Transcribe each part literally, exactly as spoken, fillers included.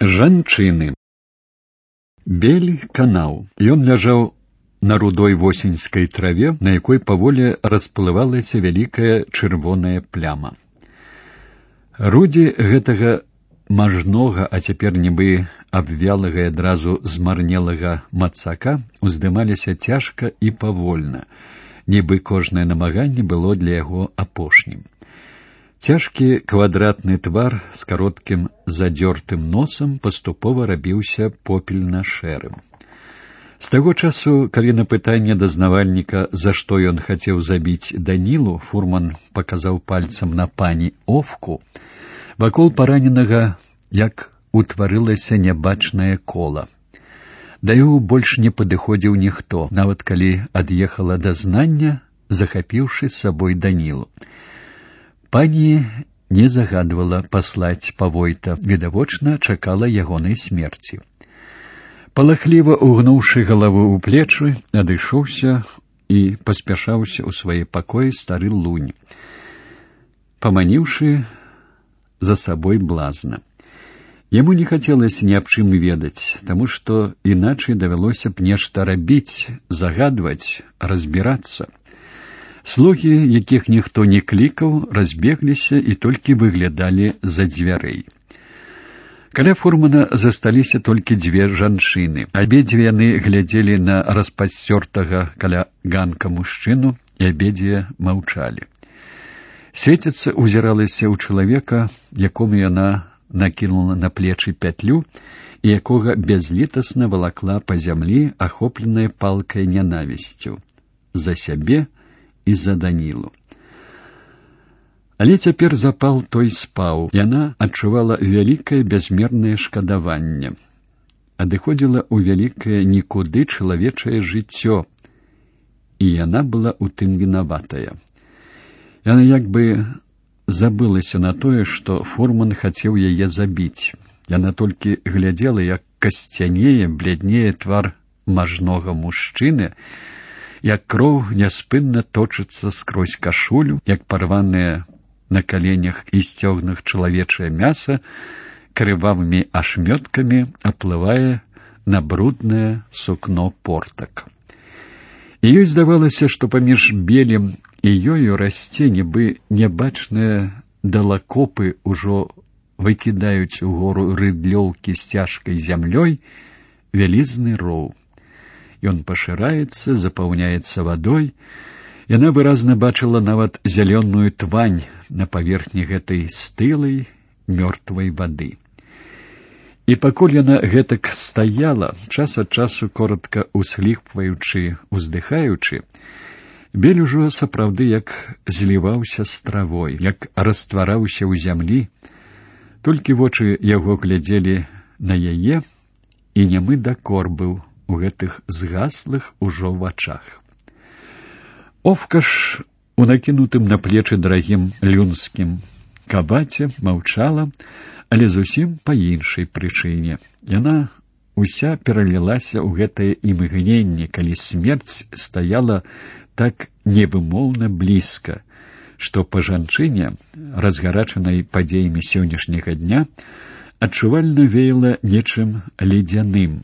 Жанчыны. Бель канаў. Ён ляжаў на рудой восеньскай траве, на якой паволі расплывалася вялікая чырвоная пляма. Рудзі гэтага мажнога, а цяпер нібы абвялага і адразу змарнелага мацака уздымаліся цяжка і павольна, нібы кожнае намаганне было для яго апошнім. Цяжкі квадратны твар з кароткім задзёртым носам паступова рабіўся попельна-шэрым. З таго часу, калі на пытанне дазнавальніка, за што ён хацеў забіць Данілу, фурман паказаў пальцам на пані Овку, вакол параненага як утварылася нябачнае кола. Да яго больш не падыходзіў ніхто, нават калі ад'ехала дазнання, захапіўшы з сабой Данілу. Пані не загадвала паслаць павойта, відавочна чакала ягонай смерці. Палахліва угнуўшы галаву ў плечы, адышоўся і паспяшаўся ў свае пакоі стары лунь, паманіўшы за сабой блазна. Яму не хацелася ні аб чым ведаць, таму што іначай давялося б нешта рабіць, загадваць, разбірацца. Слугі, якіх ніхто не клікаў, разбегліся і толькі выглядалі за дзвярэй. Каля фурмана засталіся толькі дзве жанчыны. Абедзве яны глядзелі на распасцёртага каля ганка мужчыну, і абедзве маўчалі. Свеціца узіралася ў чалавека, якому яна накінула на плечы пятлю, і якога бязлітасна валакла па зямлі, ахопленая палкай нянавісцю. За сябе і за Данілу. Але цяпер запал той спаў. Яна адчувала вялікае бязмернае шкадаванне. Адыходзіла ў вялікае нікуды чалавечае жыццё, і яна была ў тым вінаватая. Яна як бы забылася на тое, што фурман хацеў яе забіць. Яна толькі глядзела, як касцянее, бляднее твар мажнога мужчыны, як кроў няспынна точыцца скрозь кашулю, як парванае на каленях і сцёгнах чалавечае мяса крывавымі ашмёткамі аплывае на бруднае сукно портак. І ёй здавалася, што паміж белем і ёю расце, нібы нябачныя далакопы ўжо выкідаюць угору рыдлёўкі з цяжкай зямлёй вялізны роў. Ён пашыраецца, запаўняецца вадой. Яна выразна бачыла нават зялёную твань на паверхні гэтай стылай, мёртвай вады. І пакуль яна гэтак стаяла, час ад часу коротка усхліпваючы, уздыхаючы, бель ужо сапраўды як зліваўся з травой, як раствараўся ў зямлі, толькі вочы яго глядзелі на яе, і нямы дакор быў у гэтых згаслых ужо вачах. Овка ж у накінутым на плечы дарагім люнскім кабаце маўчала, але зусім па іншай прычыне. Яна уся пералілася ў гэтае імгненне, калі смерць стаяла так невымоўна блізка, што па жанчыне, разгарачанай падзеямі сённяшняга дня, адчувальна веяла нечым ледзяным,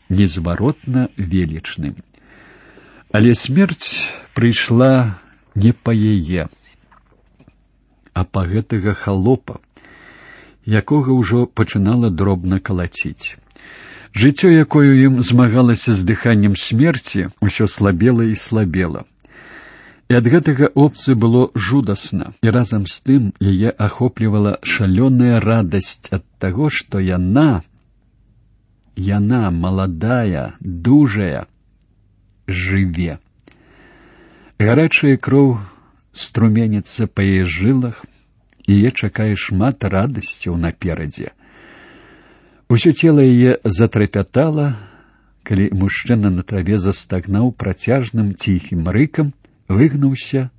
незваротна велічным. Але смерць прыйшла не па яе, а па гэтага халопа, якога ўжо пачынала дробна калаціць. Жыццё, якое ім змагалася з дыханнем смерці, усё слабела і слабела. І ад гэтага опцы было жудасна, і разам з тым яе ахоплівала шалёная радасць ад таго, што яна, яна, маладая, дужая, жыве. Гарачая кроў струменіцца па яе жылах, і яе чакае шмат радасцяў наперадзе. Усё цела яе затрапятала, калі мужчына на траве застагнаў працяжным ціхім рыкам, выгнуўся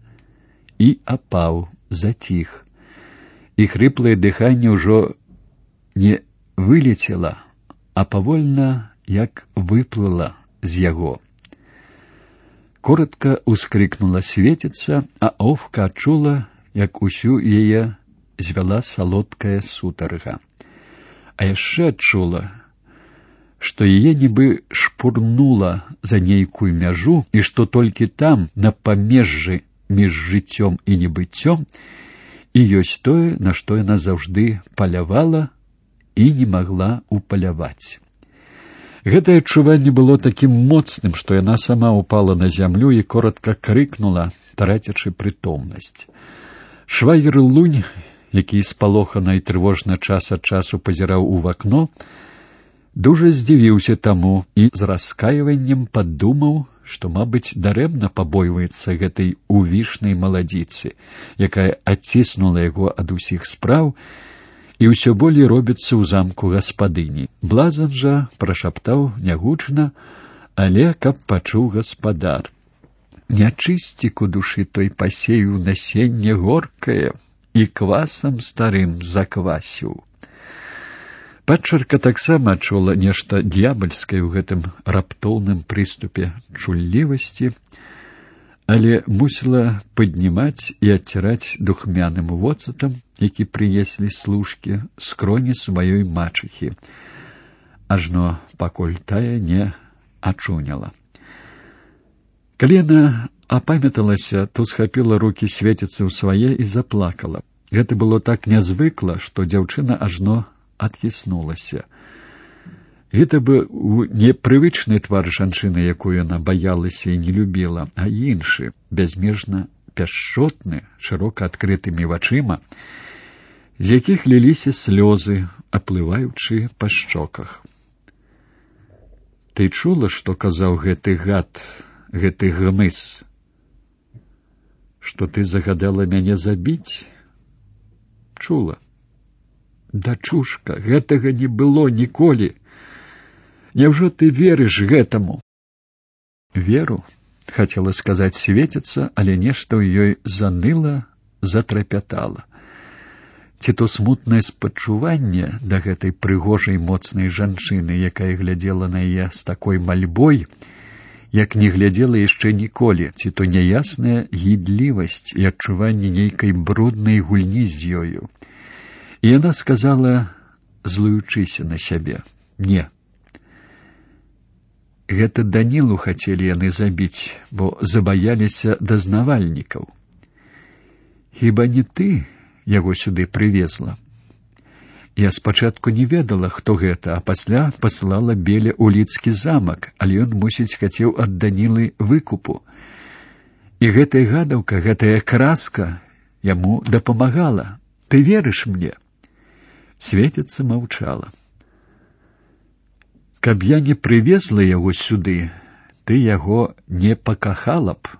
і апаў, заціх. І хрыплае дыханне ўжо не вылецела, а павольна як выплыла з яго. Коротка ускрыкнула свеціца, а Овка адчула, як усю яе звяла салодкая сутарга. а яшчэ адчула, што яе нібы шпурнула за нейкую мяжу, і што толькі там, на памежжы між жыццём і небыццём, і ёсць тое, на што яна заўжды палявала і не магла упаляваць. Гэтае адчуванне было такім моцным, што яна сама упала на зямлю і коротка крыкнула, трацячы прытомнасць. Швагер Лунь, які спалохана і трывожна час ад часу пазіраў у вакно, дужа здзівіўся таму і з раскайваннем падумаў, што, мабыць, дарэмна пабойваецца гэтай увішнай маладзіцы, якая адціснула яго ад усіх спраў і ўсё болей робіцца ў замку гаспадыні. Блазан жа прашаптаў нягучна, але каб пачуў гаспадар: «Нячысцік у душы той пасеяў насенне горкае і квасам старым заквасіў». Падчарка таксама адчула нешта д'ябальскае ў гэтым раптоўным прыступе чуллівасці, але мусіла паднімаць і адціраць духмяным воцатам, які прынеслі служкі, скроні сваёй мачыхі, ажно пакуль тая не ачуняла. Калі яна апамяталася, то схапіла рукі свеціцца ў свае і заплакала. Гэта было так нязвыкла, што дзяўчына ажно адхіснулася. Гэта быў непрывычны твар жанчыны, якую яна баялася і не любіла, а іншы, бязмежна пяшчотны, шырока адкрытымі вачыма, з якіх ліліся слёзы, аплываючы па шчоках. «Ты чула, што казаў гэты гад, гэты гмыс? Што ты загадала мяне забіць?» «Чула. Дачушка, гэтага не было ніколі. Няўжо ты верыш гэтаму?» «Веру», — хацела сказаць светіцца, але нешта ў ёй заныла, затрапятала. Ці то смутнае спачуванне да гэтай прыгожай моцнай жанчыны, якая глядзела на яе з такой мальбой, як не глядзела яшчэ ніколі, ці то няясная гідлівасць і адчуванне нейкай бруднай гульні з ёю. І яна сказала, злуючыся на сябе: «Не. Гэта Данілу хацелі яны забіць, бо забаяліся дазнавальнікаў. Хіба не ты яго сюды прывезла? Я спачатку не ведала, хто гэта, а пасля паслала Беля ў лідскі замак, але ён, мусіць, хацеў ад Данілы выкупу. І гэтая гадаўка, гэтая краска яму дапамагала. Ты верыш мне?» Светіцца маўчала. «Каб я не прывезла яго сюды, ты яго не пакахала б,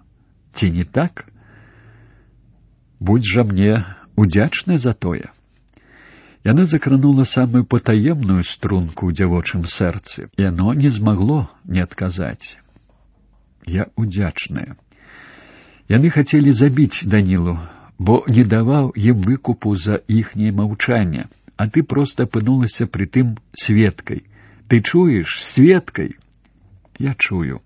ці не так? Будзь жа мне удзячная за тое». Яна закранула самую патаемную струнку ў дзявочым сэрцы, і яно не змагло не адказаць. «Я удзячная. Яны хацелі забіць Данілу, бо не даваў ім выкупу за іхняе маўчанне, а ты проста апынулася пры тым сведкай. Ты чуеш, сведкай?» «Я чую.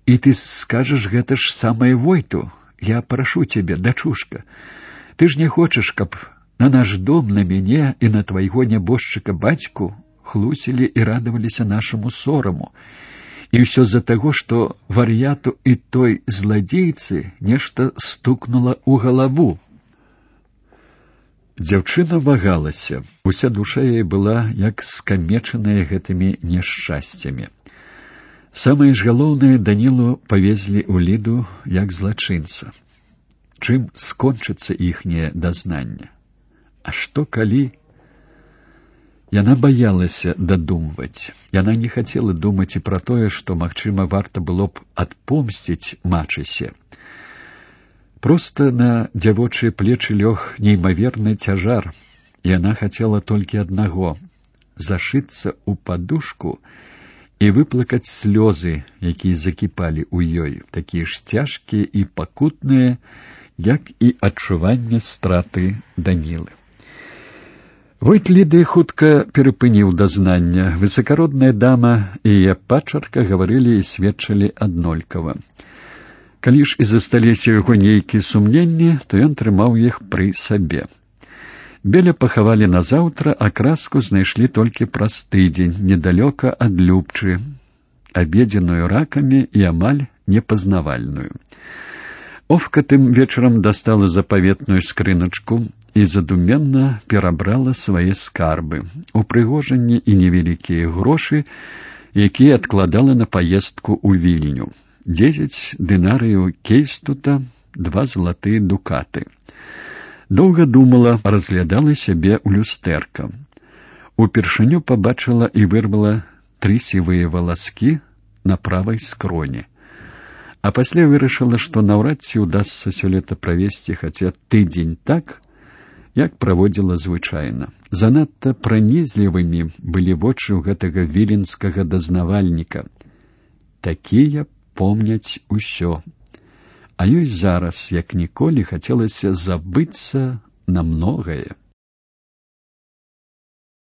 І ты скажаш гэта ж самае Войту. Я прашу цябе, дачушка. Ты ж не хочаш, каб на наш дом, на мяне і на твайго нябожчыка бацьку хлусілі і радаваліся нашаму сораму. І ўсё з-за таго, што вар'яту і той зладзейцы нешта стукнула ў галаву». Дзяўчына вагалася. Уся душа яе была як скамечаная гэтымі няшчасцямі. Самае ж галоўнае, Данілу павезлі ў Ліду як злачынца. Чым скончыцца іхняе дазнанне? А што калі? Яна баялася дадумваць. Яна не хацела думаць і пра тое, што, магчыма, варта было б адпомсціць мачысе. Проста на дзявочыя плечы лёг неймаверны цяжар, і яна хацела толькі аднаго — зашыцца ў падушку і выплакаць слёзы, якія закіпалі ў ёй, такія ж цяжкія і пакутныя, як і адчуванне страты Данілы. Войт Ліды хутка перапыніў дазнання. Высакародная дама і яе падчарка гаварылі і сведчылі аднолькава. Калі ж і засталіся яго нейкія сумненні, то ён трымаў іх пры сабе. Беля пахавалі назаўтра, а краску знайшлі толькі праз тыдзень, недалёка ад Любчы, абедзеную ракамі і амаль непазнавальную. Овка тым вечарам дастала запаветную скрыначку і задуменна перабрала свае скарбы, упрыгожанні і невялікія грошы, якія адкладала на паездку ў Вільню. Дзесяць дынарыяў кейстута, два залатыя дукаты. Доўга думала, разглядала сябе ў люстэрка. Упершыню пабачыла і вырвала тры сівыя валаскі на правай скроні. А пасля вырашыла, што наўрад ці ўдасца сёлета правесці хаця тыдзень так, як праводзіла звычайна. Занадта пранізлівымі былі вочы ў гэтага віленскага дазнавальніка. Такія помняць усё. А ёй зараз, як ніколі, хацелася забыцца на многае.